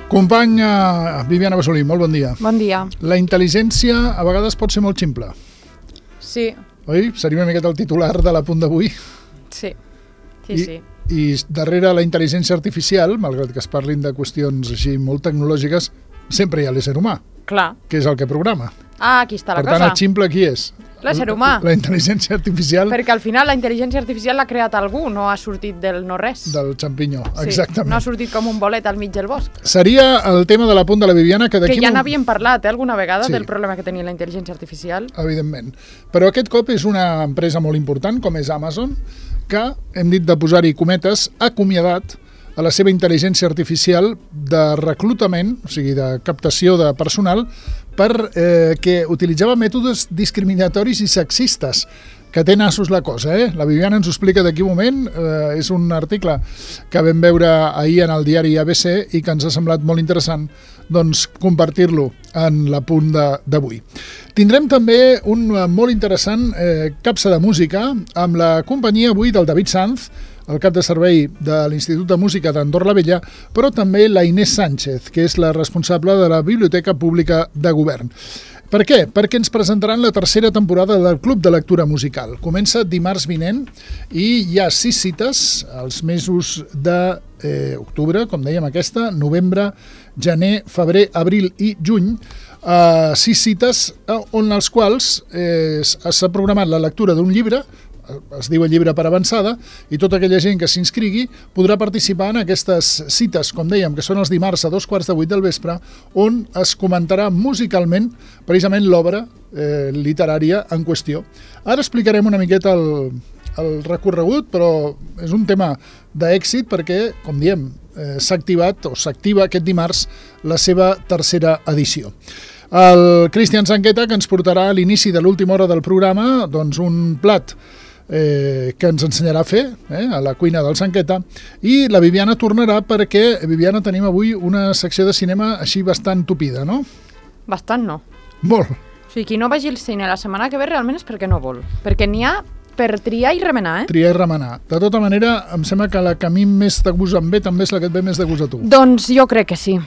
Company Viviana Bassolí, molt bon dia. Bon dia. La intel·ligència a vegades pot ser molt ximple. Sí. Oi? Seria una miqueta el titular de l'apunt d'avui. Sí. I darrere la intel·ligència artificial, malgrat que es parlin de qüestions així molt tecnològiques, sempre hi ha l'ésser humà, Clar. que és el que programa. Ah, aquí està la Per tant, cosa. el ximple qui és? L'ésser humà. La intel·ligència artificial Perquè al final la intel·ligència artificial l'ha creat algú, no ha sortit del no-res. del xampinyó, Sí, exactament. no ha sortit com un bolet al mig del bosc. Seria el tema de l'apunt de la Viviana que d'aquí... Que ja n'havíem parlat alguna vegada Sí. del problema que tenia la intel·ligència artificial. Evidentment. Però aquest cop és una empresa molt important, com és Amazon, que, hem dit de posar-hi cometes, ha acomiadat a la seva intel·ligència artificial de reclutament, o sigui, de captació de personal, que utilitzava mètodes discriminatoris i sexistes, que té nassos la cosa, La Viviana ens ho explica d'aquí un moment, és un article que vam veure ahir en el diari ABC i que ens ha semblat molt interessant doncs, compartir-lo en l'apunt d'avui. Tindrem també un molt interessant capsa de música amb la companyia avui del David Sanz, el cap de servei de l'Institut de Música d'Andorra la Vella, però també la Inés Sánchez, que és la responsable de la Biblioteca Pública de Govern. Per què? Perquè ens presentaran la tercera temporada del Club de Lectura Musical. Comença dimarts vinent i hi ha 6 cites als mesos d'octubre, com dèiem aquesta, novembre, gener, febrer, abril i juny, 6 cites on els quals s'ha programat la lectura d'un llibre, es diu el llibre per avançada, i tota aquella gent que s'inscrigui podrà participar en aquestes cites, com dèiem, que són els dimarts a 7:15 del vespre, on es comentarà musicalment precisament l'obra literària en qüestió. Ara explicarem una miqueta el recorregut, però és un tema d'èxit perquè, com diem, s'activa aquest dimarts la seva tercera edició. El Cristian Sanqueta, que ens portarà a l'inici de l'última hora del programa doncs un plat que ens ensenyarà a fer a la cuina del Sanqueta, i la Viviana tornarà perquè, Viviana, tenim avui una secció de cinema així bastant tupida, no? Bastant no. Molt. O sigui, qui no vagi al cine la setmana que ve realment és perquè no vol. Perquè n'hi ha per triar i remenar, Triar i remenar. De tota manera, em sembla que la que a mi més de gust em ve també és la que et ve més de gust a tu. Doncs jo crec que sí.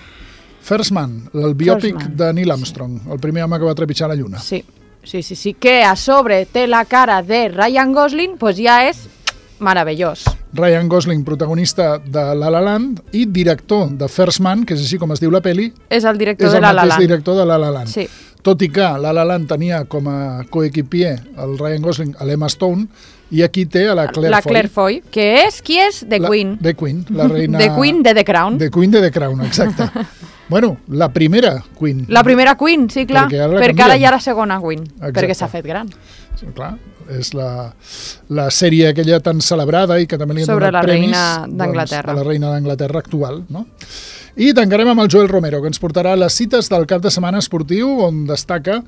First Man, el biòpic First Man. de Neil Armstrong, el primer home que va trepitjar la Lluna. Sí. Que a sobre té la cara de Ryan Gosling, pues ja és meravellós. Ryan Gosling, protagonista de La La Land i director de First Man, que és així com es diu la peli, És el director és de el La La mateix Land. director de La La Land. Sí. Tot i que La La Land tenia com a coequipier el Ryan Gosling a l'Emma Stone, i aquí té a la Claire Foy. Claire Foy, que és, qui és? The Queen. The Queen, la reina... The Queen de The Crown. The Queen de The Crown, exacte. Bueno, la primera Queen. La primera Queen, sí, clar. Perquè ara la Perquè ara canvien. hi ha la segona Queen, Exacte. perquè s'ha fet gran. Sí, clar, és la sèrie aquella tan celebrada i que també li han Sobre donat la premis reina d'Anglaterra. de la reina d'Anglaterra actual, no? I tancarem amb el Joel Romero, que ens portarà les cites del cap de setmana esportiu, on destaca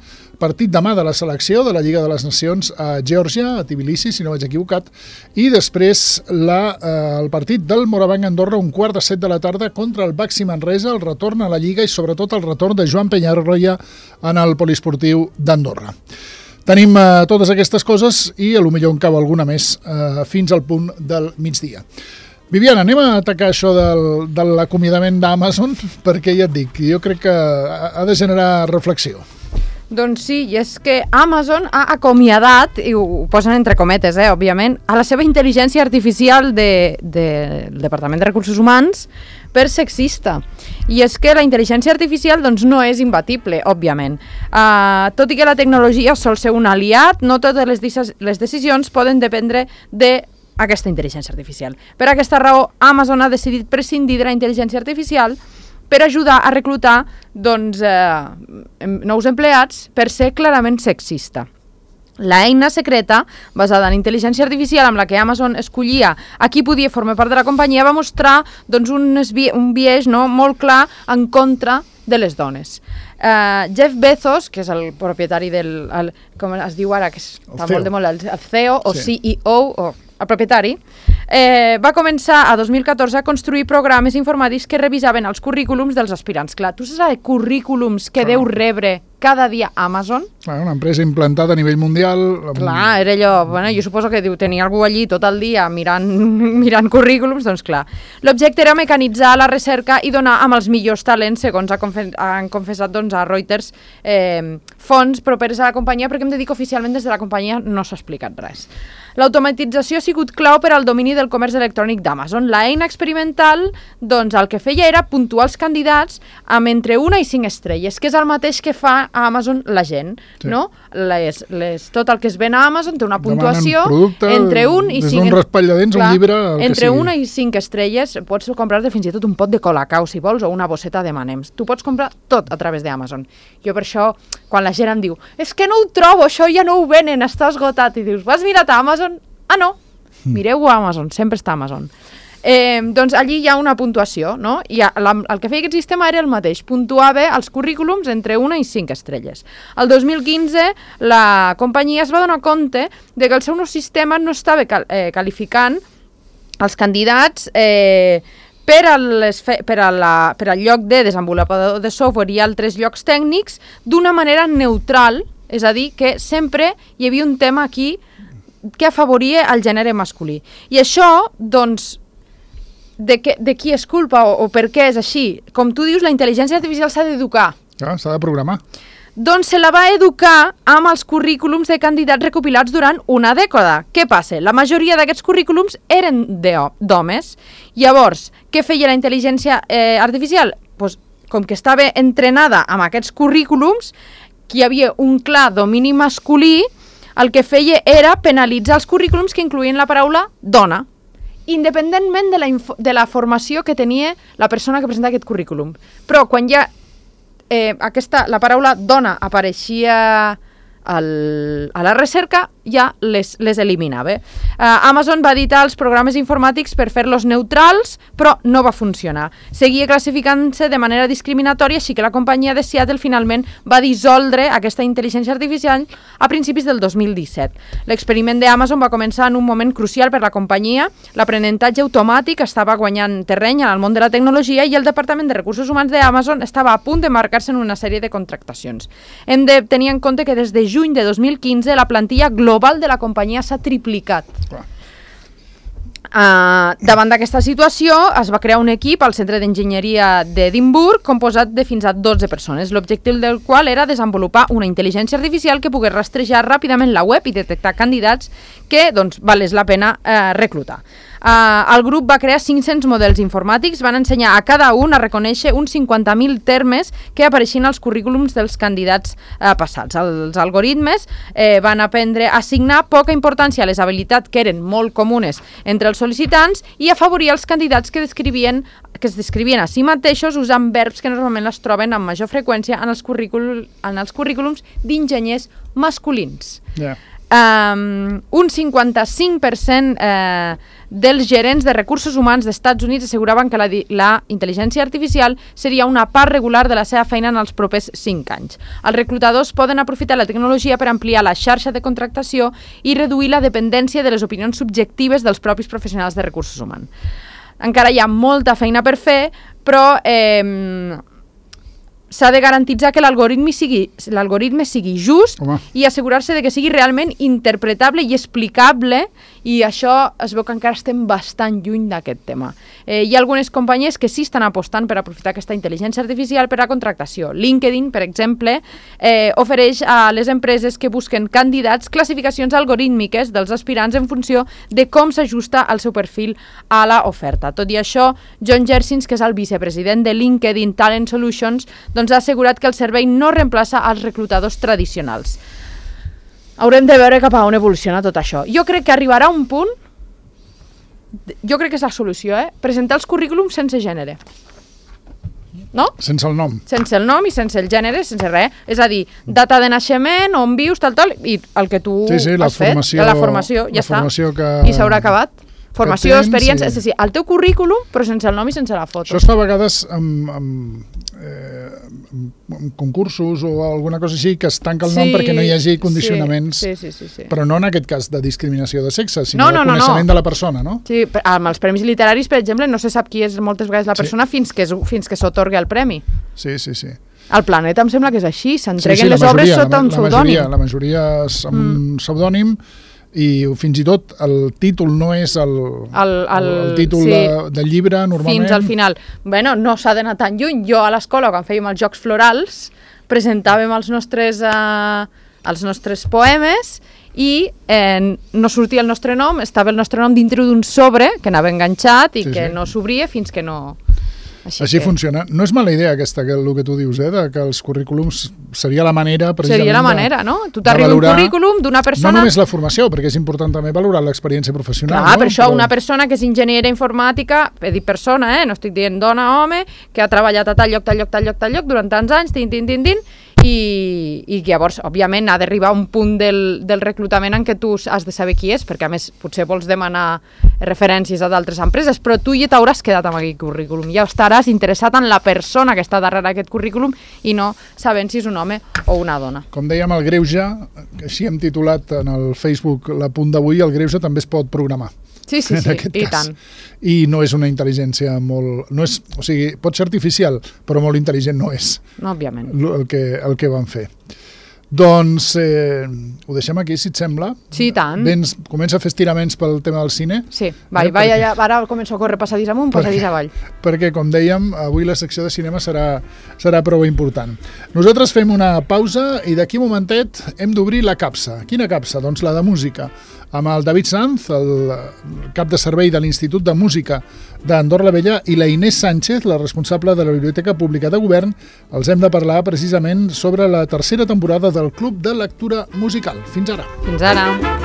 partit demà de la selecció de la Lliga de les Nacions a Geòrgia, a Tbilisi, si no vaig equivocat, i després el partit del Morabanc Andorra, 7:15 de la tarda, contra el Baxi Manresa, el retorn a la Lliga i sobretot el retorn de Joan Penyarroia en el poliesportiu d'Andorra. Tenim totes aquestes coses i potser en cau alguna més fins al punt del migdia. Viviana, anem a atacar això de l'acomiadament d'Amazon, perquè ja et dic, jo crec que ha de generar reflexió. Doncs sí, i és que Amazon ha acomiadat, i ho posen entre cometes, òbviament, a la seva intel·ligència artificial del Departament de Recursos Humans per sexista. I és que la intel·ligència artificial doncs, no és imbatible, òbviament. Tot i que la tecnologia sol ser un aliat, no totes les decisions poden dependre d'aquesta intel·ligència artificial. Per aquesta raó, Amazon ha decidit prescindir de la intel·ligència artificial per ajudar a reclutar nous empleats per ser clarament sexista. La eina secreta, basada en intel·ligència artificial amb la que Amazon escollia a qui podia formar part de la companyia, va mostrar un biaix molt clar en contra de les dones. Jeff Bezos, que és el propietari com es diu ara, que està molt de moda, el CEO o CEO, o el propietari, va començar a 2014 a construir programes informàtics que revisaven els currículums dels aspirants. Clar, tu saps currículums que deu rebre cada dia Amazon. Una empresa implantada a nivell mundial. Clar, era allò, bueno, jo suposo que tenia algú allí tot el dia mirant currículums, doncs clar. L'objecte era mecanitzar la recerca i donar amb els millors talents, segons han confessat doncs, a Reuters, fonts properes a la companyia, perquè hem de dir que oficialment des de la companyia no s'ha explicat res. L'automatització ha sigut clau per al domini del comerç electrònic d'Amazon. L'eina experimental, doncs, el que feia era puntuar els candidats amb entre 1 i 5 estrelles, que és el mateix que fa a Amazon la gent, no? Tot el que es ven a Amazon té una puntuació entre 1 i 5... Des d'un raspall de dents, un llibre, el entre 1 i 5 estrelles pots comprar-te fins i tot un pot de Colacao, si vols, o una bosseta de M&M's. Tu pots comprar tot a través d'Amazon. Jo per això, quan la gent em diu és que no ho trobo, això ja no ho venen, està esgotat, i dius, vas mirar a Amazon? Ah, no, mireu a Amazon, sempre està a Amazon. Doncs allí hi ha una puntuació, no? I el que feia aquest sistema era el mateix, puntuava els currículums entre 1 i 5 estrelles. El 2015 la companyia es va donar compte de que el seu nou sistema no estava qualificant els candidats per al lloc de desenvolupador de software i altres llocs tècnics d'una manera neutral, és a dir, que sempre hi havia un tema aquí que afavoria el gènere masculí. I això, doncs, de qui és culpa o per què és així? Com tu dius, la intel·ligència artificial s'ha d'educar. S'ha de programar. Doncs se la va educar amb els currículums de candidats recopilats durant una dècada. Què passa? La majoria d'aquests currículums eren d'homes. Llavors, què feia la intel·ligència artificial? Pues, com que estava entrenada amb aquests currículums, que hi havia un clar domini masculí, el que feia era penalitzar els currículums que incloïen la paraula dona, independentment de la formació que tenia la persona que presenta aquest currículum. Però quan ja la paraula dona apareixia a la recerca, ja les eliminava. Amazon va editar els programes informàtics per fer-los neutrals, però no va funcionar. Seguia classificant-se de manera discriminatòria, així que la companyia de Seattle finalment va dissoldre aquesta intel·ligència artificial a principis del 2017. L'experiment d'Amazon va començar en un moment crucial per la companyia. L'aprenentatge automàtic estava guanyant terreny en el món de la tecnologia i el Departament de Recursos Humans d'Amazon estava a punt de marcar-se en una sèrie de contractacions. Hem de tenir en compte que des de juny de 2015 la plantilla global de la companyia s'ha triplicat. Davant d'aquesta situació es va crear un equip al Centre d'Enginyeria d'Edimburg composat de fins a 12 persones, l'objectiu del qual era desenvolupar una intel·ligència artificial que pogués rastrejar ràpidament la web i detectar candidats que valés la pena reclutar. El grup va crear 500 models informàtics, van ensenyar a cada un a reconèixer uns 50.000 termes que apareixien als currículums dels candidats passats. Els algoritmes van aprendre a assignar poca importància a les habilitats que eren molt comunes entre els sol·licitants i afavorir els candidats que es descrivien a si mateixos usant verbs que normalment es troben amb major freqüència en els currículums d'enginyers masculins. Un 55% dels gerents de recursos humans dels Estats Units asseguraven que la intel·ligència artificial seria una part regular de la seva feina en els propers 5 anys. Els reclutadors poden aprofitar la tecnologia per ampliar la xarxa de contractació i reduir la dependència de les opinions subjectives dels propis professionals de recursos humans. Encara hi ha molta feina per fer, però s'ha de garantitzar que l'algoritme sigui just i assegurar-se de que sigui realment interpretable i explicable, i això es veu que encara estem bastant lluny d'aquest tema. Hi ha algunes companyies que sí estan apostant per aprofitar aquesta intel·ligència artificial per a contractació. LinkedIn, per exemple, ofereix a les empreses que busquen candidats classificacions algorítmiques dels aspirants en funció de com s'ajusta el seu perfil a l'oferta. Tot i això, John Jersins, que és el vicepresident de LinkedIn Talent Solutions, ha assegurat que el servei no reemplaça els reclutadors tradicionals. Haurem de veure cap a on evoluciona tot això. Jo crec que arribarà un punt, jo crec que és la solució, presentar els currículums sense gènere. No? Sense el nom. Sense el nom i sense el gènere, sense res. És a dir, data de naixement, on vius, tal, i el que tu has fet. La formació, ja està. I s'haurà acabat. Formació, experiència, sí. El teu currículum, però sense el nom i sense la foto. Això es fa a vegades amb concursos o alguna cosa així, que es tanca el nom perquè no hi hagi condicionaments, però no en aquest cas de discriminació de sexe, sinó de coneixement de la persona, no? Sí, amb els premis literaris, per exemple, no se sap qui és moltes vegades la persona fins que s'atorga el premi. Sí. Al Planeta em sembla que és així, s'entreguen les obres sota un pseudònim. La majoria és amb un pseudònim i fins i tot el títol no és el títol del llibre normalment. Fins al final. Bueno, no s'ha d'anar tan lluny. Jo a l'escola, quan fèiem els Jocs Florals, presentàvem els nostres poemes i no sortia el nostre nom, estava el nostre nom dintre d'un sobre que anava enganxat i que no s'obria fins que no... Així funciona. No és mala idea aquesta, el que tu dius, de que els currículums seria la manera precisament seria la manera, no? Tu t'arriba un currículum d'una persona... No només la formació, perquè és important també valorar l'experiència professional. Clar, per això una persona que és enginyera informàtica, he dit persona, no estic dient dona, home, que ha treballat a tal lloc durant tants anys, i llavors, òbviament, ha d'arribar a un punt del reclutament en què tu has de saber qui és, perquè a més potser vols demanar referències a d'altres empreses, però tu ja t'hauràs quedat amb aquell currículum, ja estaràs interessat en la persona que està darrere aquest currículum i no sabent si és un home o una dona. Com dèiem, el greuge, així hem titulat en el Facebook l'apunt d'avui, el greuge també es pot programar. Sí, i tant. I no és una intel·ligència molt... No és, o sigui, pot ser artificial, però molt intel·ligent no és. No, òbviament. El que van fer. Doncs ho deixem aquí, si et sembla. Sí, i tant. Comença a fer estiraments pel tema del cine. Sí, allà, ara començo a córrer passadís amunt, passadís avall. Perquè, com dèiem, avui la secció de cinema serà prou important. Nosaltres fem una pausa i d'aquí un momentet hem d'obrir la capsa. Quina capsa? Doncs la de música. Amb el David Sanz, el cap de servei de l'Institut de Música d'Andorra la Vella, i la Inés Sánchez, la responsable de la Biblioteca Pública de Govern, els hem de parlar precisament sobre la tercera temporada del Club de Lectura Musical. Fins ara. Fins ara.